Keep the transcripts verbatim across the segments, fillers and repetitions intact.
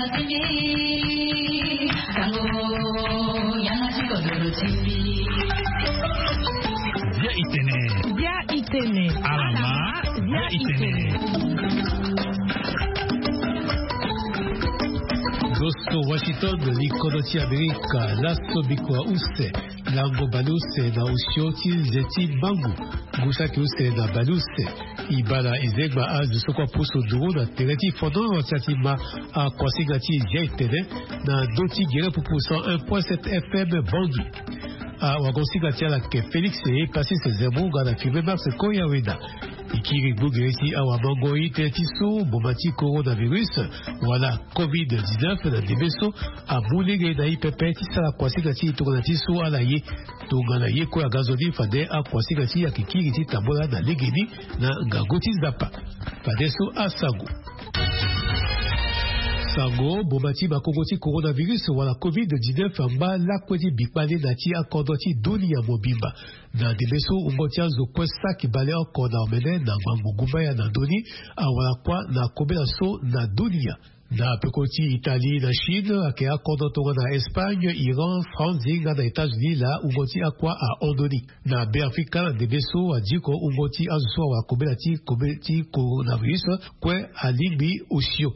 Bia itene. Bia itene. Alama. Bia itene. Gosto Washington, likodo ti Amerika, laso bikua use, lango baleuse na osio ti nze ti mangu, ngu saki use na baleuse. E baa na e zegba azo so kue apusu nduru na tere ti fondro ti atima akuasinga ti Zia Itene na ndö ti gere pupu cent un point sept F M Bangui. Awagosinga ti ala ayeke Félix Epasis Zemmour nga na Firmin Max Koyaweda. E kiri gbu gere ti awamangoi tënë ti so mboma ti coronavirus wala covid dix-neuf na ndembe so amu lege na e pepe ti sara kuasinga ti e tongana ti so ala ye. Tongana ye kue aga nzoni fade akuasinga ti e ayeke kiri ti tambula na legeni na ngangu ti Nzapa. Fadeso asango. Sango, mboma ti makongo ti coronavirus wala covid dix-neuf angba lakue ti bikpale na ti akodro ti dunia mobimba. Na ndembe so wungo ti azo kue saki bale oko na omene na ngbangbo gumbaya na ndö ni awara kuâ na kobela so na dunia. Na peko ti Italie na Chine ayeke akodro tongana Espagne, Iran, France nga na États-Unis laa wungo ti akuâ ahon ndö ni. Na Beafrika na ndembe so adiko wungo ti azo so awara kobela ti kobe ti coronavirus kue alingbi osio.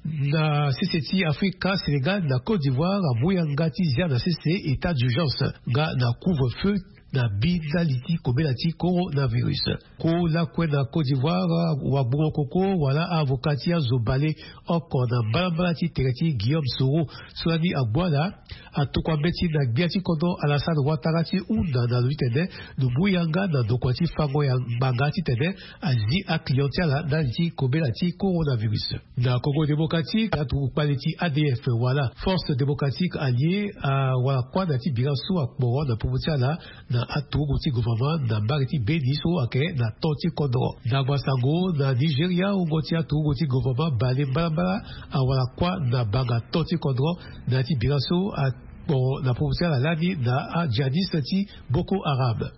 Na sese ti Afrika, Sénégal na Côte d'Ivoire amu yanga ti zia na sese état d'urgence nga na couvre-feu na bi ndali ti kobela ti coronavirus. Ko lakue na Côte d'Ivoire, wagbongo koko wala avocat ti azo bale oko na mbalambala ti tere ti Guillaume Soro so lani agbu ala atokua mbeti na gbia ti kodro Alassane Ouattara ti hunda na lo titene lo mu yanga na ndokua ti fango ya ngbanga titene azi aclient ti ala ndali ti kobela ti coronavirus. Na Congo Démocratique, aturugu kpale ti A D F wala Force Démocratique Alliée awara kuâ na ya ti bira so akporo na popo ti ala na aturugu ti gouvernement na mbage ti Beni so ayeke na to ti kodro. Na ngba sango, na Nigeria wungo ti aturugu ti gouvernement bale mbalambala awara kuâ na banga to ti kodro na ya ti bira so akporo na popo ti ala lani na ajihadiste ti Boko Haram.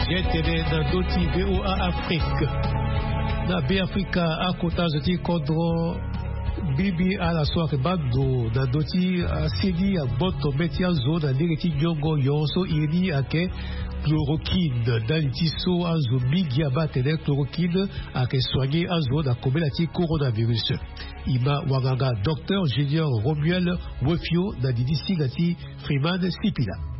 Ye tene na ndö ti V O A Afrique. Na Beafrika, akota zo ti kodro bibi ala so ayeke baa ndo na ndö ti aseni agboto mê ti azo na lege ti nyongo nyon so iri ni ayeke chloroquine. Ndali ti so azo mingi abaa atene chloroquine ayeke soigner azo na kobela ti coronavirus. E ma wanganga Docteur Junior Romuel Wefio na didi singa ti Freeman Sipila.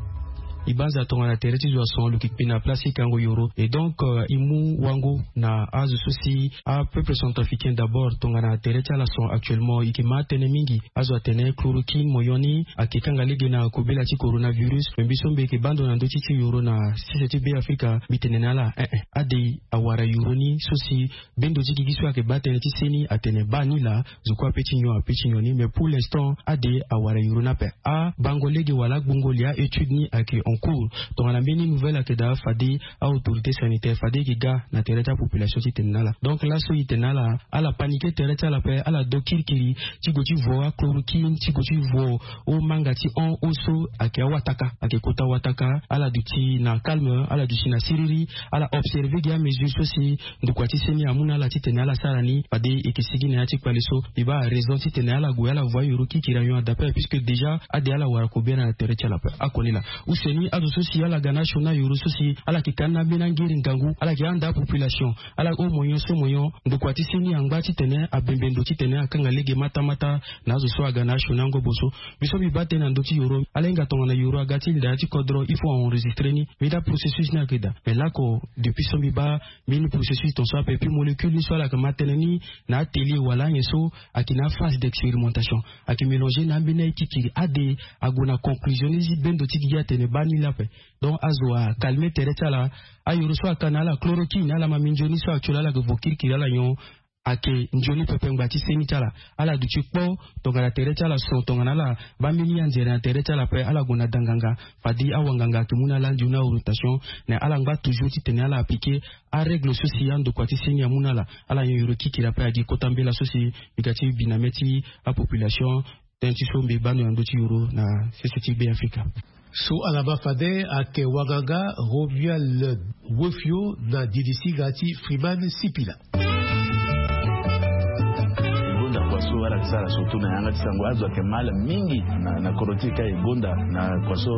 E banza tongana tere ti zo ason lo yeke kpe na place ti kango yoro. Et donc, euh, e mu wango na azo so si apeuple centrafricain d'abord tongana tere ti ala son actuellement e yeke ma atene mingi. Azo atene chloroquine moyon ni ayeke kanga lege na kobela ti coronavirus. Me mbi so mbi yeke baa ndo na ndö ti ti yoro na sese ti Beafrika, mbi tene na ala, eh, eh, ade awara yoro ni so si bendo ti gigi so ayeke baa tënë ti seni atene baa ni laa, zo kue ape ti nyon ape ti nyon ni. Mais pour l'instant ade awara yoro ni ape. Abango lege wala agbongo li a-étude ni ayeke en cours. Tongana mbeni nouvelle ayeke daa fade a-autorité sanitaire fade e yeke ga na tere ti apopulation ti tene na ala. Donc laso e tene na ala, ala paniquer tere ti ala ape, ala do kirikiri ti gue ti vo achloroquine, ti gue ti vo omanga ti hon, hon so ayeke awataka, ayeke kota wataka. Ala duti na calme, ala duti na siriri, ala observer gi amesure so si ndokua ti seni amu na ala titene ala sara ni. Fade e yeke sigi na ya ti kpale so, e baa araison titene ala gue ala voie yoro kirikiri anyon adape, puisque déjà ade ala wara kobela na tere ti ala ape. Akoni laa. Use ni azo so si ala ga na asioni na yoro so si ala yeke ka ni na ambeni angiri ngangu, ala yeke handa apopulation, ala o moyen so moyen ndokua ti seni angba titene abembe ndo titene akanga lege matamata na azo so aga na asioni angobo so. Mbi so mbi baa tënë na ndö ti yoro, ala hinga tongana yoro aga ti linda ya ti kodro, il faut a enregistrer ni. Mbi daa processus ni ayeke daa. Mais lako, depuis so mbi baa mbeni processus tongaso ape, puis molécule ni so ala yeke ma tënë ni na atelier wala anyen so ayeke na aphase d'expérimentation, ayeke mélanger na ambeni aye kirikiri. Ade ague na conclusion ni si bendo ti gigi atene baa ni laa ape. Donc azo acalmer tere ti ala. Ayoro so aka na ala chloroquine, ala ma minzoni so actuel ala yeke vo kirikiri ala nyon. Ayeke nzoni pepe ngbanga ti seni ti ala. Ala duti kpo tongana tere ti ala so tongana ala baa mbeni anzere na tere ti ala ape ala gue na da nganga. Fade awanganga ayeke mu na ala nzoni aorientation. Na ala ngba toujours titene ala appliquer arègle so si andokua ti seni amu na ala. Ala nyon yoro kikiri ape agi kota mbela so si mbi ga ti bi na mê ti apopulation. Tënë ti so mbi baa ndo na ndö ti yoro na sese ti Be Afrika. So ala ma fade ayeke wanganga Romuald Wefio na didi singa ti Freeman Sipila. E gonda kua so ala yeke sara surtout na yanga ti sango azo ayeke mal mingi na, na kodro ti e ka e gonda na kua so,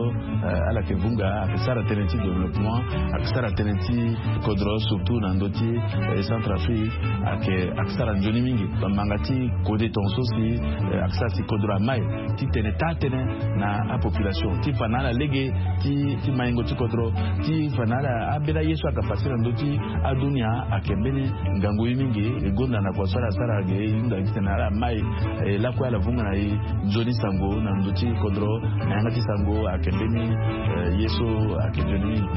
eh, ala yeke vunga ayeke sara tënë ti développement, ayeke sara tënë ti kodro surtout na ndö ti, eh, Centrafrique, ayeke, ayeke sara nzoni mingi. Bamanga ti kode tongaso si, eh, ayeke sara si kodro amai titene taa tënë na apopulation ti fa na ala lege ti, ti maingo ti kodro, ti fa na ala ambeni aye so aga facile na ndö ti adunia. Ayeke mbeni ngangu ye mingi. E gonda na kua so ala sara ge e hunda titene ala mai, eh, lakue ala vunga na e nzoni sango na ndö ti kodro na yanga ti sango ayeke mbeni, eh, ye so ayeke nzoni mingi.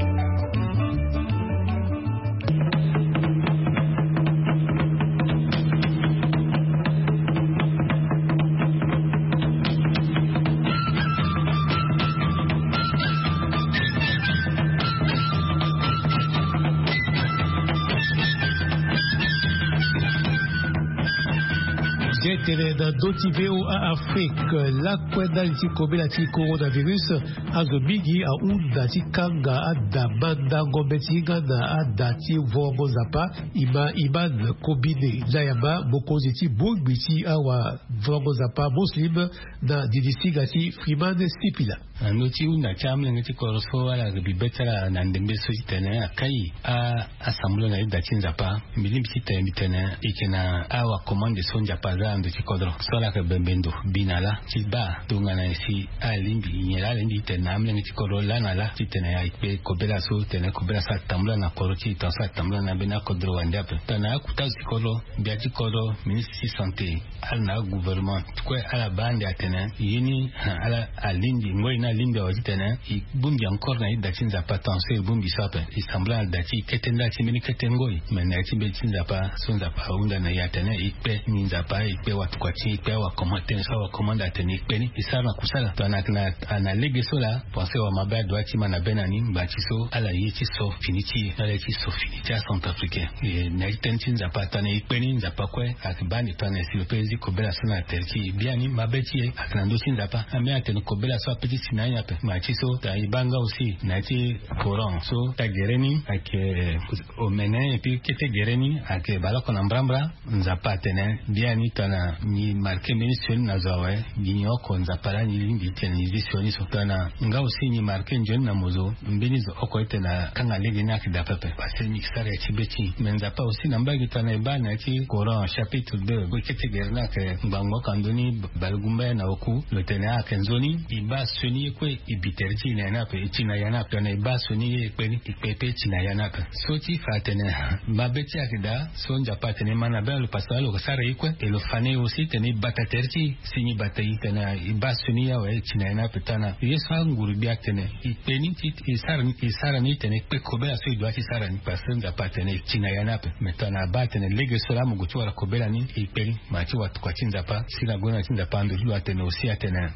Zia tene na ndö ti V O A Afrique, lakue ndali ti kobela ti coronavirus, azo mingi ahunda ti kanga ada mandango mbeti hinga na ada ti vuango Nzapa. E ma Iman Kobine Layama, mokonzi ti bongbi ti awavuango Nzapa Muslim na didi singa ti Freeman Sipila. Na ndö ti hunda ti amolenge ti kodro so ala bi be ti ala na ndembe so titene akai a, asambula na ida ti Nzapa. Mbi lingbi titene mbi tene e yeke na awakomande so Nzapa aza na ndö ti kodro so ala yeke bembe ndo bi na ala ti baa tongana nyen si ala lingbi nyen laa ala lingbi titene na amolenge ti kodro laa na ala titene e kpe kobela so titene kobela so atambula na kodro ti e tongaso atambula na ambeni akodro wande ape. Tongana akuta azo ti kodro, gbia ti kodro, ministre ti santé, ala na agouvernement kue ala baa ande atene ye ni, ha, ala alingbi ngoi ni alingbi awe titene e bongbi encore na ida ti Nzapa tongaso e bongbi so ape. E sambela na da ti e kete nda ti mbeni kete ngoi me na ya ti mbeti ti Nzapa so Nzapa ahunda na e atene e kpe ni Nzapa, e kpe watokua ti e, e kpe awakomande, tënë so awakomande atene e kpe ni, e sara na kusala. Tongana ayeke na, na lege so laa, pense wamabe adua ti ma na be na ni ngbanga ti so ala ye ti so fini ti e, ala ye ti so fini ti acentrafricain. E na ya ti tënë ti Nzapa tongana e kpe ni, Nzapa kue ayeke baa ande tongana e si lo pe e zi kobela so na tere ti e. Biani mabe ti e ayeke na ndö ti Nzapa. Ambeni atene kobela so ape ti si na ya ni ape. Ngbanga ti so tongana e baa nga aussi na ya ti Coran so ta gere ni ayeke omene, et puis kete gere ni ayeke baleoko na mbrambra. Nzapa atene biani tongana nyi marke mbeni sioni na zo awe, nyi oko Nzapa laa nyi lingbi titene nyi zi sioni so. Tongana nga aussi nyi marke nzoni na mo zo, mbeni zo oko titene akanga lege ni ayeke daa pepe. Parce que nyi yeke sara ya ti be ti nyi. Mais Nzapa aussi na mbage tongana e baa na ya ti Coran chapitre deux, kete gere ni ayeke ngbangbo oko na ndö ni balegumbaya na oku, lo tene ayeke nzoni, e baa sioni ye kue e bi tere ti e na ya ni ape, e ti na ya ni ape. Tongana e baa sioni ye e kpe ni, e kpe pe e ti na ya ni ape. So ti fa atene mabe ti e ayeke daa, so Nzapa atene e ma na be na lo parce que lo sara ye kue, e lo fa na e aussi titene e bata tere ti e. Si nyi bata e tene e baa sioni ye awe, e ti na ya ni ape. Tongana ye so anguru gbia atene e kpe ni ti e sara ni, e sara ni titene e kpe kobela so e dua ti sara ni parce que Nzapa atene e ti na ya ni ape. Mais tongana abaa atene lege so laa mo gue ti wara kobela ni, e kpe ni. Ma ti watokua ti Nzapa si na gonda ti Nzapa ando ti lo atene aussi atene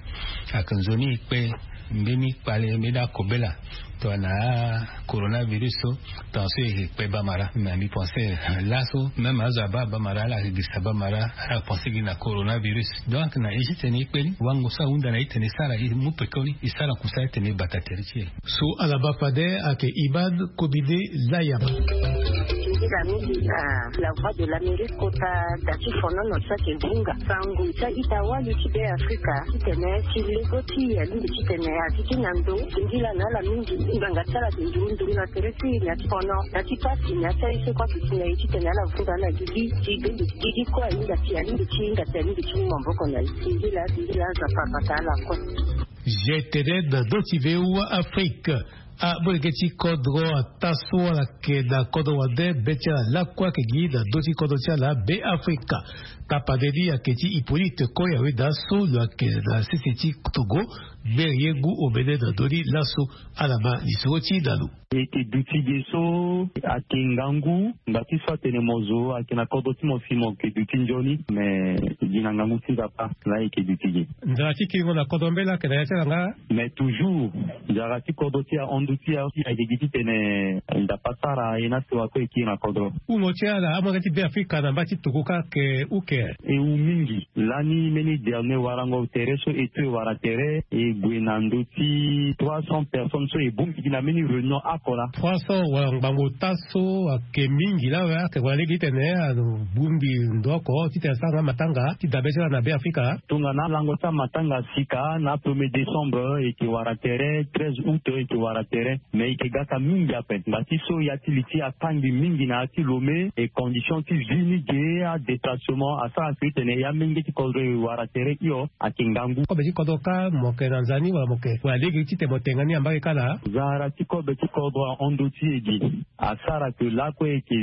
ayeke nzoni e kpe mbeni kpale mbeni akobela tongana coronavirus so, tongana so e kpe bamara. Mais mbi pense laso même azo abaa bamara ala yeke girisa bamara, ala pense gi na coronavirus. Donc na e ti tene e kpe ni, wango so ahunda na e titene e sara, e mu pekoni, e sara kusala titene e bata tere ti e. So ala ma fade ayeke Iman Kobine Layama. Nzila mingi na La Voix de l'Amérique kota da ti fonono so ayeke vunga sango ti a-ita wali ti Be Afrika titene ti lego ti e alingbi titene a zi ti na ndo. Nzila na ala mingi, ngbanga ti ala ayeke nduru nduru na tere ti e, na ti fono, na ti pasi, na ti aye so kue ayeke ti na e titene ala vunga ala gigi ti be nde ti gigi kue ahinga ti e alingbi ti hinga ti alingbi ti mu maboko na e. Nzila, nzila, Nzapa abata ala kue. Zia tene na ndö ti V O A Afrique. Amolenge ti kodro ataa so ala yeke na kodro wande, be ti ala lakue ayeke gi na ndö ti kodro ti ala Be Afrika. Apade ni ayeke ti Hippolyte Koya Weda so lo yeke na sese ti Togo. Gbere ye ngu omene na ndö ni laso. Ala ma lisoro ti na lo. E yeke duti ge so ayeke ngangu ngba ti so atene mo zo ayeke na kodro ti mo si mo yeke duti nzoni. Me e gi na ngangu ti Nzapa laa e yeke duti ge. Nzala ti kiringo na kodro mbela ayeke na ya ti ala nga? Mais toujours, nzara ti kodro ti ahon nduti aye ayeke gi titene Nzapa asara aye na sewa so e kiri na kodro. Hungo ti ala amolenge ti Beafrika na mba ti Togo kâ ayeke uke? E hu mingi. Lani mbeni dernier warango tere so e to e wara tere, e gue na ndö ti trois cents personnes so e bongbi gi na mbeni réunion oko laa. Trois cents wala ngbangbo ota so ayeke mingi laa awe, ayeke gue na lege titene abongbi ndo oko titene asara nga matanga ti dabe ti ala na Beafrika. Tongana lango ti amatanga sika na premier décembre e yeke wara tere, treize août e yeke wara tere. Mais e yeke gaka mingi ape ngba ti so ya ti li ti akangbi mingi na ya ti Lomé, e condition ti vie ni ge, adéplacement asara si tene ya mingi ti kodro e wara tere hio ayeke ngangu. Kobe ti kodro kâ mo yeke na nza ni wala mo yeke wala lege titene mo tenga ni ambage kâ laa? Nzara ti kobe ti kodro ahon ndo ti e gi. Asara ke lakue e yeke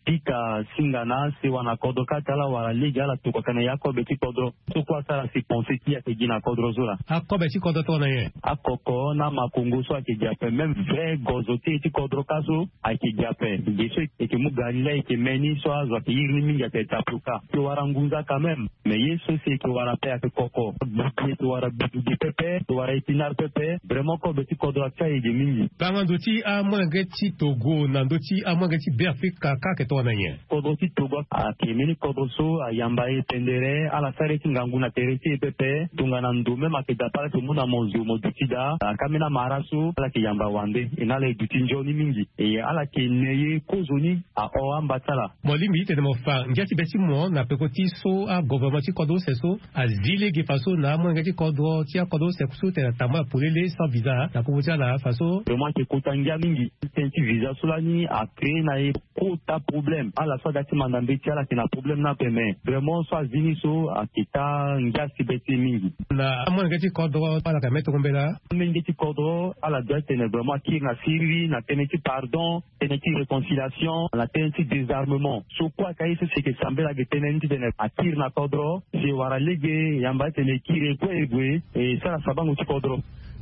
pika singa na asewa na kodro kâ ti ala wala lege ala tokua ka na ya kobe ti kodro. So kue asara si pensé ti e ayeke gi na kodro so laa. Akobe ti kodro tongana nyen? Akoko na amakongo so ayeke gi ape, même vrai gozo ti e ti kodro kâ so ayeke gi ape. Ge so e yeke mu ga ni laa e yeke me ni so azo ayeke iri ni mingi ayeke tape oka. E yeke wara ngunza quand même. Mais ye so si e yeke wara ape ayeke koko. Gbudu e yeke wara gbudu ge pepe, e yeke wara épinard pepe. Vraiment kobe ti kodro atia e ge mingi. Tanga ndo ti amolenge ti Togo na ndo ti amolenge ti Beafrika kâ ayeke tongana nyen? Kodro ti Togo ayeke mbeni kodro so ayamba e pendere, ala sara ye ti ngangu na tere ti e pepe. Tongana ndo même ayeke dape ala yeke mu na mo zo mo duti daa. Aka mbeni amara so ala yeke yamba wande, e na ala e duti nzoni mingi. E ala yeke ne ye kozoni ahon amba ti ala. Mo lingbi titene mo fa ngia ti be ti mo na peko ti so agovernement ti kodro use so azi lege faso na amolenge ti kodro ti akodro use so tene atambula polele sans visa na popo ti ala faso. Vraiment ayeke kota ngia mingi. Tënë ti visa so lani acréé na e kota problème. Ala so aga ti manda mbeti ala yeke na problème ni ape, mais vraiment so azi ni so ayeke taa ngia si be ti e mingi. Na amolenge ti kodro ala yeke me tongo mbela? Amolenge ti kodro ala doit tene vraiment akiri na siriri na tënë ti pardon, tënë ti réconciliation, na tënë ti désarmement. So kue ayeke aye so si e yeke sambela ge tënë ni titene akiri na kodro si e wara lege, e yamba titene e kiri e kue e gue e sara sabango ti kodro.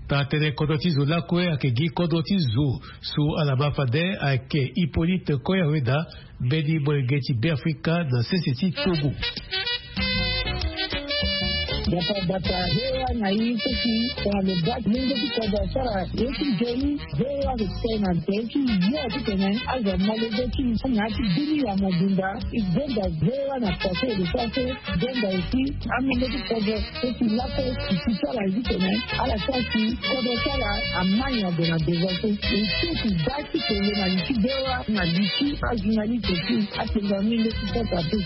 Taa tënë kodro ti zo lakue ayeke gi kodro ti zo so ala ma fade ayeke Hippolyte Koya Weda, mbeni molenge ti Beafrika na sese ti Togo. Bata bata, V O A na i so si tongana lo baa molenge ti kodro asara ye ti nzoni, V O A ayeke tene na tere ti yo titene azo amolenge ti i na ya ti bini ya mobimba. E gonda V O A na poto e lo so aso. Gonda aussi amolenge ti kodro so si lakue e si ti ala ye titene ala sara si kodro ti ala amai na gue na devant so. E so e si baa ti tene na li ti V O A na li ti ajournaliste aussi. Atene na molenge ti kodro ape.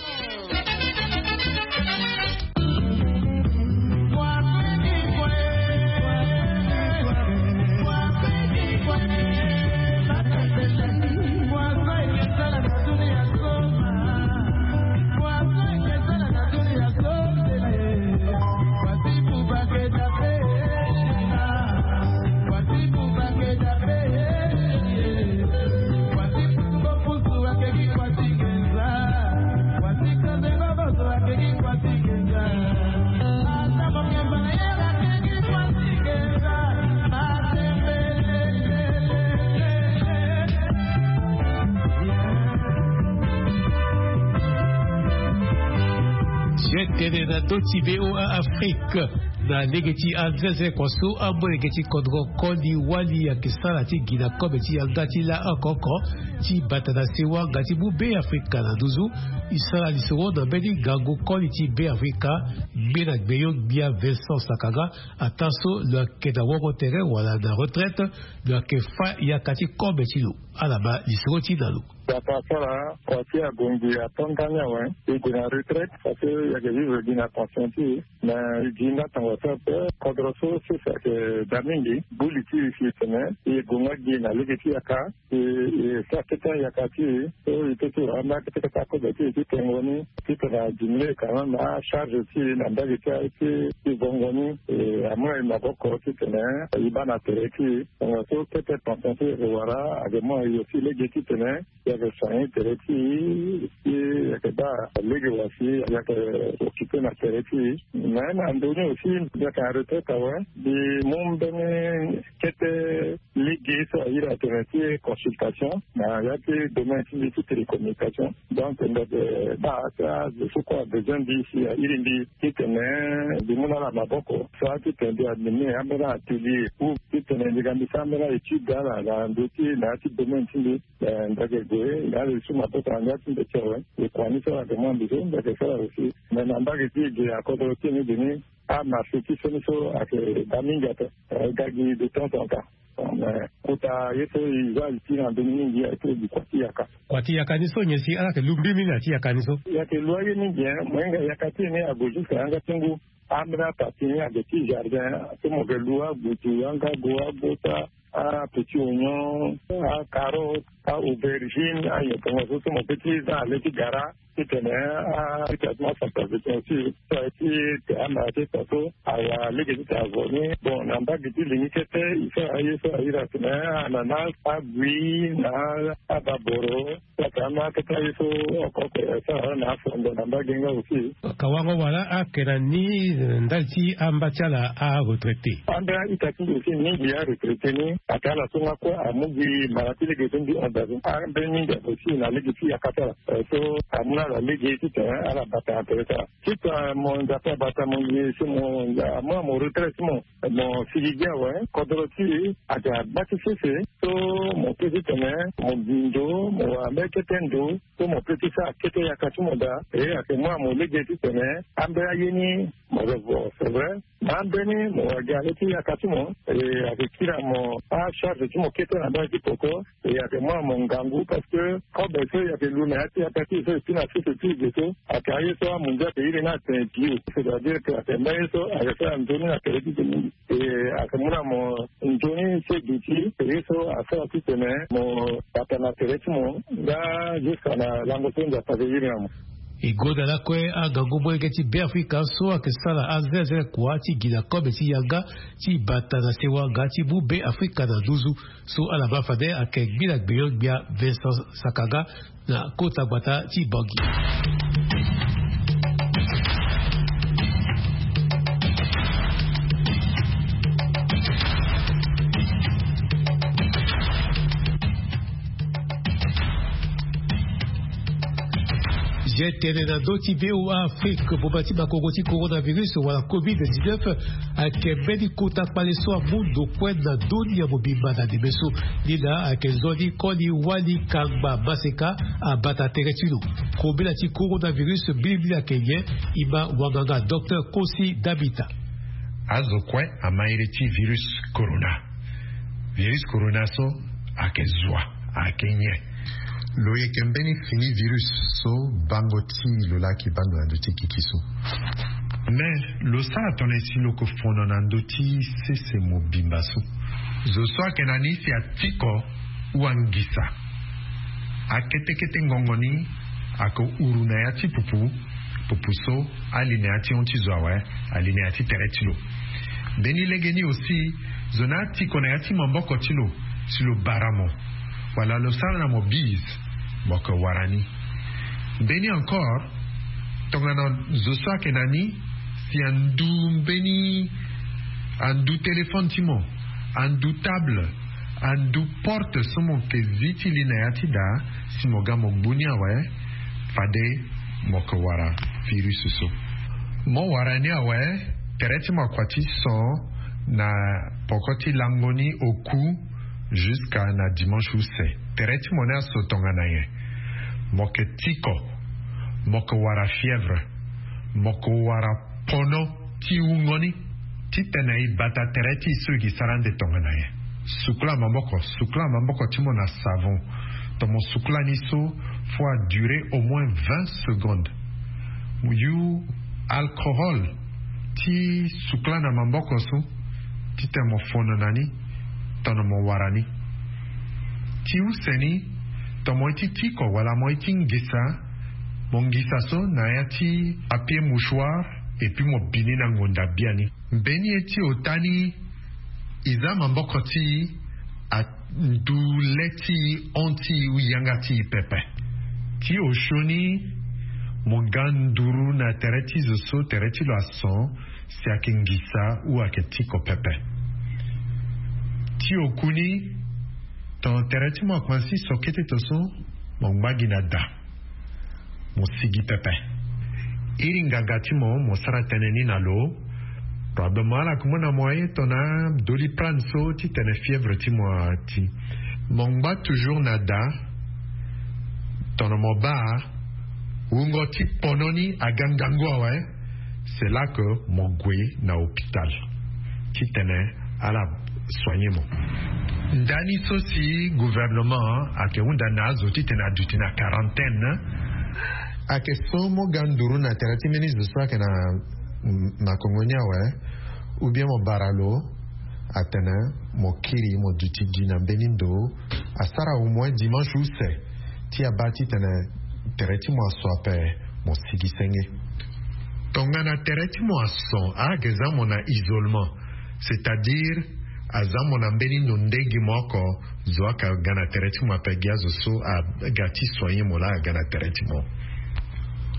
Ti tene na ndö ti V O A Afrique. Na lege ti anzenze kua so amolenge ti kodro koli wali ayeke sara ti gi na kobe ti yanga ti la oko oko ti bata na sewa nga ti mu Beafrika na nduzu. E sara lisoro na mbeni ngangu koli ti Beafrika, gbe na gbeyo gbia Vincent Sakanga, ataa so lo yeke na woro tere wala na retraite, lo yeke fa yaka ti kobe ti lo. Ala ma lisoro ti na lo. Bata asara kua ti agongi ato ndani awe. E gue na retraite parce que e yeke vivre gi na conscient ti e. Mais e gi nga tongaso ape, kodro so sese ayeke daa mingi. Buli ti e si e tene e gue nga gi na lege ti yaka. E, e sara kete ayaka ti e so e peut ti wara ambeni akete kete akobe ti e ti tengo ni titene adiminuer quand même acharge ti e na mbage ti aye ti, ti vongo ni. E amu na e maboko titene e baa na tere ti e. Tongaso kete conscient ti e wara ayeke mu na e aussi lege titene Soigner tere ti e, ti e yeke baa lege wa si ayeke occupé na tere ti e. Mais na ndö ni aussi mbi yeke na retraite awe, mbi mu mbeni kete lege so airi atene ti consultation na ya ti domaine ti mbi ti télécommunication. Donc mbi yeke baa ti azo so kue abezoin mbi si airi mbi titene mbi mu na ala maboko, soit titene mbi admini ambeni atelier ou titene mbi ga mbi sara ambeni étude ala na ndö ti na ya ti domaine ti mbi. Eh, mbi yeke gue na ala li so maboko na ngia ti mbi ti awe. E kua ni so ala yeke mu na mbi so mbi yeke sara aussi. Mais na mbage ti e ge akodro ti e ni ge ni, amarché ti so ni so ayeke daa mingi ape. Eh, ga gi de temps en temps. Mais kota ye so e za li ti na ndö ni mingi ayeke gi kua ti yaka. Kua ti yaka ni so nyen si ala yeke lu mbirimbiri na ya ti yaka ni so? E yeke lu aye mingi, hein. Mo hinga yaka ti e ni ague jusqu'à yanga ti ngu. Ambeni apapi ni ague ti jardin so mo yeke lu agudu, angago, agota, apetit oignon, acarotte, a-aubergine, anyopongo so so mo peut ti za na le ti gara. Titene a, titene asantabe tene ti so aye ti te ama ti ta so awa lege ti ta avo ni. Bon, na mbage ti li ni kete e sara aye so airi atene ananas, agui na ababoro. Saka ama kete aye so oko oko e sara na afondo na mbage nga aussi. Ka wango wala ayeke na ni ndali ti amba ti ala aretraité. Ambeni a-ita ti mbi aussi mingi aretraité ni ayeke ala so nga kue amu gi mara ti lege so mbi hon daa so. Ambeni mingi aussi na lege ti yaka ti ala. Eh, so amu na ala lege titene ala bata na tere ti ala. Titene mo Nzapa abata mo nze si mo amu na mo retraite ti mo, mo sigi gi awe. Kodro ti e ayeke na gba ti sese so mo peut titene mo gi ndo, mo wara mbeni kete ndo so mo peut ti sara kete yaka ti mo daa. E ayeke mu na mo lege titene ambeni aye ni mo revo, c'est vrai. Na ambeni mo wara gi na le ti yaka ti mo, e ayeke kiri na mo acharge ti mo kete na mbage ti poko. E ayeke mu na mo ngangu parce que kobe so e yeke lu na ya ti yaka ti e so e pi na sese ti e ge so ayeke aye so amunzu ayeke iri ni atene bio, c'est-à-dire que ayeke mbeni ye so ayeke sara nzoni na tere ti e mingi. E ayeke mu na mo nzoni ti e duti ye so asara titene mo bata na tere ti mo nga jusqu'à na lango so Nzapa ayeke iri na mo. E gonda lakue angangu molenge ti Beafrika so ayeke sara azenze kua ti gi na kobe ti yanga ti bata na sewa nga ti mu Beafrika na nduzu. So ala ma fade ayeke ngbila gbenyo-gbia Vincent Sakanga na kota gbata ti Bangui. Zia tene na ndö ti V O A Afrique, boma ti makongo ti coronavirus wala covid dix-neuf ayeke mbeni kota kpale so amu ndo kue na ndö ni ya mobimba na ndembe so. Ni laa ayeke nzoni koli wali kangba maseka abata tere ti lo. Kobela ti coronavirus mbilimbili ayeke nyen? E ma wanganga docteur Kosi Dabita. Azo kue ama iri ti virus corona. Virus corona so ayeke zua, ayeke nyen? Lo yeke mbeni fini virus so bango ti lo laa ayeke baa ndo na ndö ti gigi so. Mais lo sara tongana si lo yeke fono na ndö ti sese mobimba so. Zo so ayeke na ni si atiko ou angisa akete kete ngongo ni, ayeke huru na ya ti pupu, pupu so ali na ya ti hon ti zo awe, ali na ya ti tere ti lo. Mbeni lege ni aussi, zo ni atiko na ya ti maboko ti lo si lo bara mo, wala lo sara na mo bise, mo yeke wara ni. Mbeni encore, tongana zo so ayeke na ni si andu mbeni, andu téléphone ti mo, andu table, andu porte so mo yeke zi ti li na ya ti daa, si mo ga mo gbu ni awe, fade mo yeke wara virus so. Mo wara ni awe, tere ti mo akua ti so na poko ti lango ni oku jusqu'à na dimanche use. Tere ti mo ni aso tongana nyen? Mo yeke tiko, mo yeke wara fièvre, mo yeke wara pono ti wungo ni. Titene e bata tere ti e so e gi sara ande tongana nyen? Sukula maboko, sukula maboko ti mo na savon. Tomo sukula ni so, faut a durer au moins vingt secondes. Mo yu alcohol ti sukula na maboko so, titene mo fono na ni, tono mo wara ni. Ti use ni, tomo ye ti tiko wala mo ye ti ngisa, mo ngisa so na ya ti papier mouchoir, et puis mo bi ni na ngonda biani. Mbeni ye ti ota ni, e za maboko ti e andu le ti e, hon ti e ou yanga ti e pepe. Ti osioni, mo ga nduru na tere ti zo so tere ti lo ason, si ayeke ngisa ou ayeke tiko pepe. Ti okuni, tongana tere ti mo akomanse so kete to so, mo ngba gi na da, mo sigi pepe. Iri nganga ti mo, mo sara tënë ni na lo. Probablement ala yeke mu na mo aye tongana doliprane so titene fièvre ti mo ati. Mo ngba toujours na da. Tongana mo baa wungo ti pono ni aga ngangu awe, c'est là que mo gue na hôpital titene ala soigner mo. Ndani so si gouvernement ayeke hunda na azo titene aduti na quarantaine, ayeke so mo ga nduru na tere ti mbeni zo so ayeke na makongo ni awe, ou bien mo bara lo atene mo kiri mo duti gi na mbeni ndo, asara au moins dimanche use ti abaa titene tere ti mo aso ape, mo sigi senge. Tongana tere ti mo ason, ala yeke za mo na isolement, c'est-à-dire aza mo na mbeni ndo nde gi mo oko, zo ayeke ga na tere ti mo ape, gi azo so aga ti soigner mo laa aga na tere ti mo.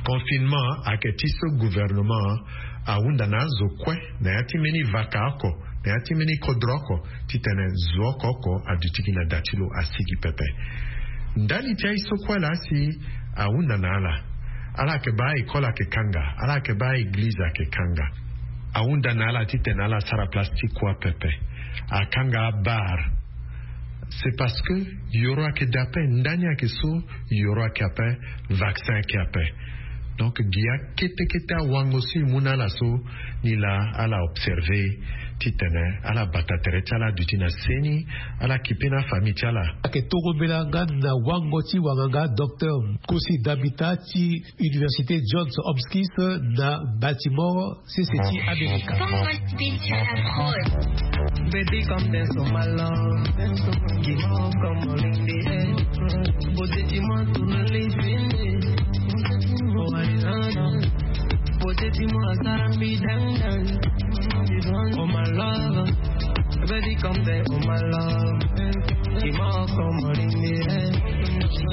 Confinement ayeke ti so gouvernement ahunda na azo kue na ya ti mbeni vaka oko, na ya ti mbeni kodro oko, titene zo oko oko aduti gi na da ti lo asigi pepe. Ndali ti aye so kue laa si ahunda na ala, ala yeke baa école ayeke kanga, ala yeke baa église ayeke kanga. Ahunda na ala titene ala sara place ti kua pepe. Akanga abar. C'est parce que yoro ayeke da ape, ndani ayeke so, yoro ayeke ape, vaccin ayeke ape. Donc gi akete kete awango so e mu na ala so, ni laa ala observer titene ala bata tere ti ala aduti na seni, ala kipe na afamille ti ala. Ayeke toro mbela nga na wango ti wanganga docteur Kosi Damita ti Université Johns Hopkins na Baltimore, sese ti Amerika. Baby, come dance for my love. Give up, come on in the air. Beauté, dis-moi tout le living. Oh, I love you. Beauté, dis-moi, ça me down, down. Oh, my love. Baby, come there, oh, my love. Dis-moi, come on in the air.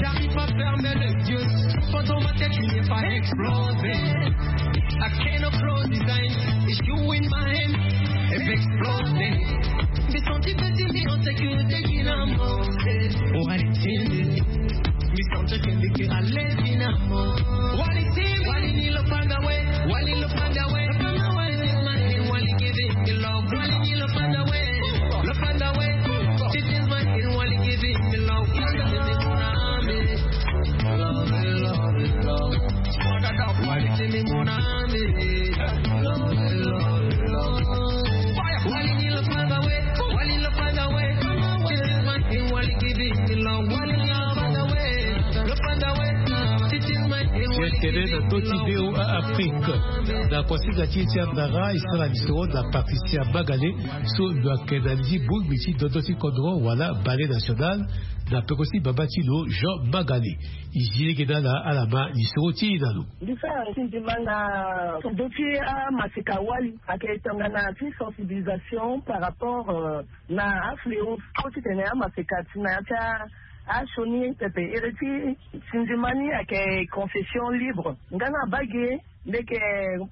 J'arrive pas à fermer les yeux. Quand on m'a tête, il n'est pas explosé. I cannot close his eyes. It's you in my hand. If exploding. Mi santi pe ti mi en sécurité, qui la mort. Oh, I feel it. Mi santi que mi ke alezi na mo. Wali ti, wali ni lo panda we. Wali lo panda we. Wali ni lo panda we. Wali ni lo panda we. Lo panda we. Ti ti ma ni wali give me love. Wali give me more army. Love, love, love. Tene na ndö ti V O A Afrique. Na kuasinga ti e ti andara e sara lisoro na Patricia Magale, so lo yeke na li ti bongbi ti dodo ti kodro wala Ballet National, na peko ti baba ti lo Jean Magale. E zi lege na ala, ala ma lisoro ti e na lo. Mbi sara ti ndima na ndö ti amaseka wali, ayeke tongana ti sensibilisation par rapport, euh, na afléau so titene amaseka ti na ya ti a, asioni pepe. Ere ti sindima ni ayeke confession libre. Nga na bage, mbi yeke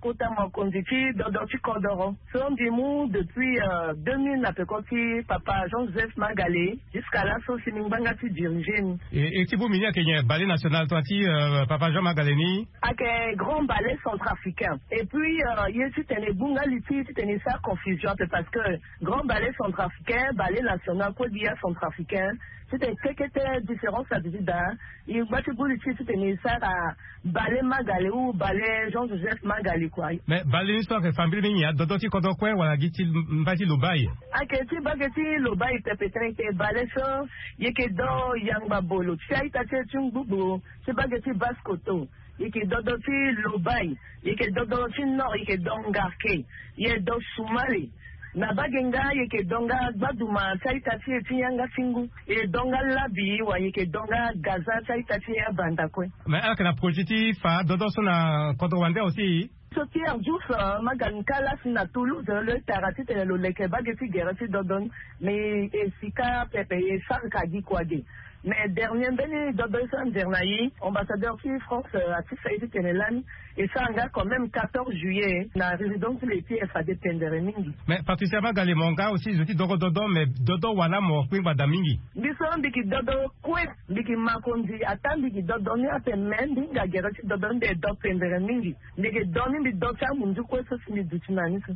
kota mokonzi ti dodo ti kodoro. So mbi mu depuis, euh, deux mille na peko ti papa Jean-Joseph Magale, jusqu'à laso si mbi ngbanga ti diriger ni. E, e ti bongbi ni ayeke nyen, Ballet National, tongana ti, euh, papa Jean Magale ni? Ayeke Grand Ballet Centrafricain. Et puis, euh, ye titene e bungbi li ti e titene e sara confusion ape, parce que Grand Ballet Centrafricain, Ballet National kue gi ya centrafricain, titene kekete différence aduti daa. E ngba ti bungbi li ti e titene e sara Ballet Magale ou Ballet Jean-Joseph Magale kua. Mais ballet ni so ayeke fa mbeni nyen, adodo ti kodro kue wala gi ti mbai ti Lobaye? Ayeke ti bage ti Lobaye pepe tënë, ayeke ballet so e yeke do yangba bolo ti a-ita ti e ti ngbugbo ti bage ti Basse-Kotto. E yeke dodo ti Lobaye, e yeke dodo ti Nord, e yeke do Ngarke, e do Soumale. Na bage nga e yeke do nga gbaduma ti a-ita ti e ti yanga ti ngu, e do nga Labi, wala e yeke do nga Gaza ti a-ita ti e abanda kue. Mais ala yeke na projet ti fa dodo so na kodro wande aussi? So Pierre Diouf, euh, ma ga ni kala si na Toulouse, euh, lo tara titene lo leke bage ti gere ti dodo ni. Mais e sika pepe, e sara ka gi kua ge. Mais dernier mbeni dodo so anzere na ye, ambassadeur ti France, euh, ati fa ye titene lani e sara nga quand même quatorze juillet na résidence ti le ti fade pendere mingi. Mais Patricia Bagale, mo nga aussi zo ti dogo dodo, mais dodo wala mo kpingba da mingi. Mbi so mbi gi dodo kue, mbi gi makonzi ata mbi gi dodo ni ape, mais mbi hinga gere ti dodo ni mbi e do pendere mingi. Mbi gi do ni mbi do ti amunzu kue so si mbi duti na ni so.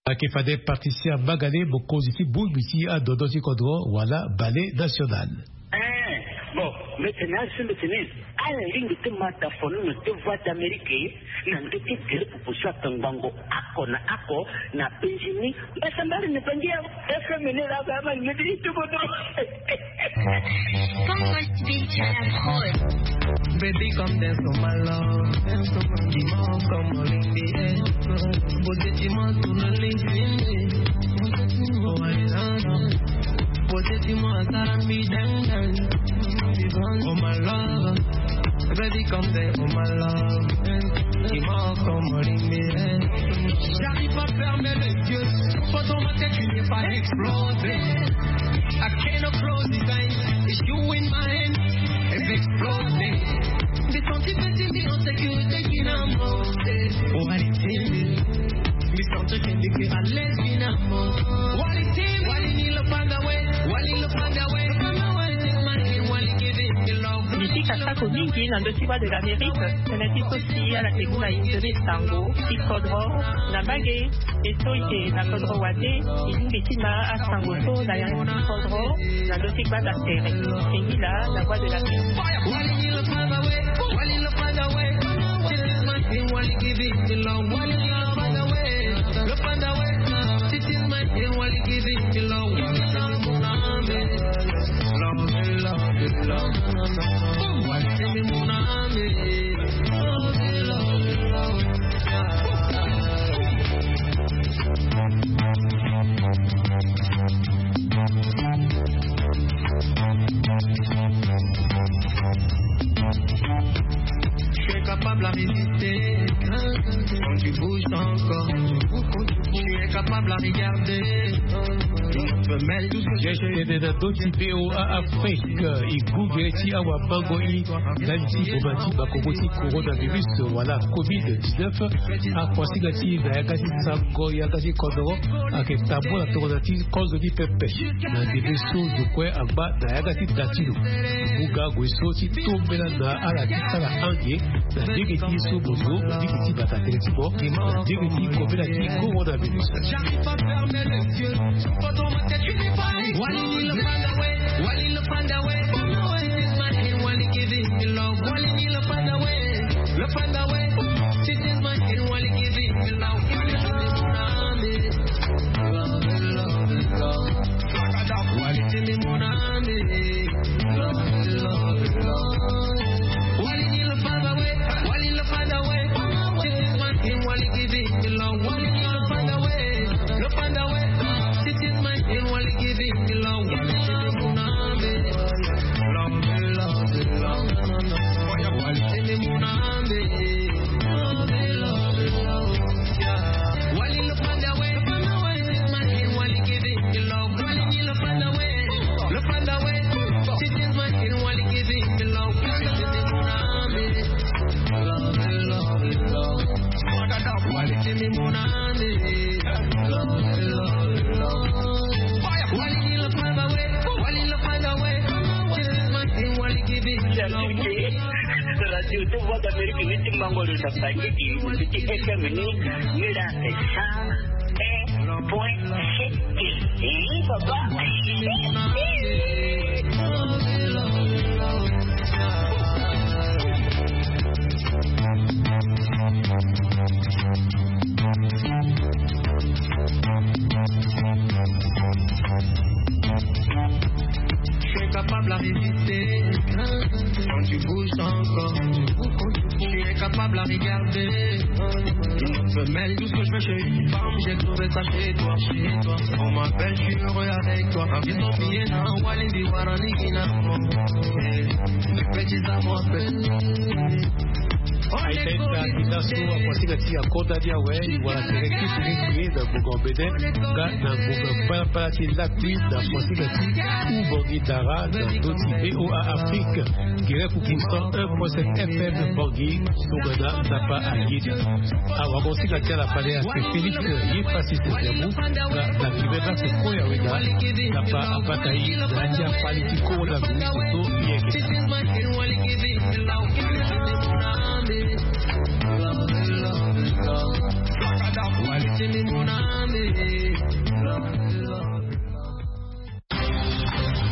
Ayeke fade Patricia Bagale, mokonzi ti bongbi ti adodo ti kodro wala Ballet National. Eh, bon, mbi tene azo mbi tene ala lingbi ti ma tafono na deux voix d'Amérique na ndö ti gere proposition atangbango oko na oko na penzi ni. Mbasambari na penzi ya F M ni la ba ma ni ti tubo do. Baby, come dance for my love. Dance for my love. Come on, in the air. Beauté, dis-moi, tout le monde. Oh, I love you. Beauté, dis-moi, ça me down, down. Oh, my love. Baby, come there, oh, my love. Dis-moi, come on, in the air. J'arrive pas à fermer les yeux. Faut dans ma tête, tu n'es pas explosé. I cannot close his eyes. It's you in my hand. It's exploding. Des sentiments, des sentiments, c'est que t'es une amour. Oh, allez, t'es. Me sentir que t'es à l'aise, une amour. What it is, what it is, look on the way. What it look on the way. Look on the way, this man, he want to give it the love. Mbi ti kasa ko mingi na ndö ti Voix de l'Amérique, tënë ti so si ala ke mu na e nzoni sango ti kodro na mbage. E so e yeke na kodro wande, e lingbi ti ma asango so na yanga ti kodro na ndö ti gbanda tere. Kingila, la Voix de l'Amérique. Je suis capable à résister quand tu bouges encore. Je suis capable à regarder. Geste de la doti V O A Afrique, e gue ti awabango i ndali ti boma ti makongo ti coronavirus wala covid dix-neuf. Akuasinga ti na yanga ti sango yanga ti kodro ayeke tambula tongana ti kozo ni pepe. Na ndembe so zo kue angba na yanga ti da ti lo. Mu nga gue so ti tombela na ala ti sara ange na ndenge ti ye so mo zo na lege ti bata tere ti mo na ndenge ti kobela ti coronavirus. J'arrive pas à fermer les yeux. Faut dans ma tête, tu n'es pas. Wali ni le panda way. Wali le panda way. This man, he want to give it the love. Wali ni le panda way. Le panda way. This man, he want to give it the love. Love, love, love. Wali ni le panda way. Wali ni le panda way. This man, he want to give it the love. Wali ni le panda way. Le panda way. This man, he want to give it the love. Love, love, love. Wali ni le panda way. Wali ni le panda way. This man, he want to give it the love. Wali ni le panda way. Le panda way. This man, he want to give it the love. Love, love, love. Wali ni le panda way. Wali ni le panda way. This man, he want to give it the love. Radio ti Voix d'Amérique ni ti mango lo na Bangui, ti F M ni, ni la cent un point sept. Eh, papa. Je suis capable à résister quand tu bouges encore. Je suis capable à regarder une autre femelle. Tout ce que je veux chez une femme, j'ai trouvé ça chez toi, chez toi. On m'appelle, je suis heureux avec toi. Ils ont bien un Walindi Warani Kinamo. Eh, les petits amours. Aita ita ita so akosinga ti akonda ni awe, wala tere ti tere tere na ngonga mbede nga na ngonga palapala ti lakui na kosinga ti u Bangui Dara na ndö ti VOA Afrique. Gere kuku cent un point sept F M Bangui, tongana ndapa ayeda. Awagosinga ti ala fade ase Félix ye Francis Nzembu, na na kibe na se koya weda ndapa abata ye na ya fali ti Coronavirus so yeke.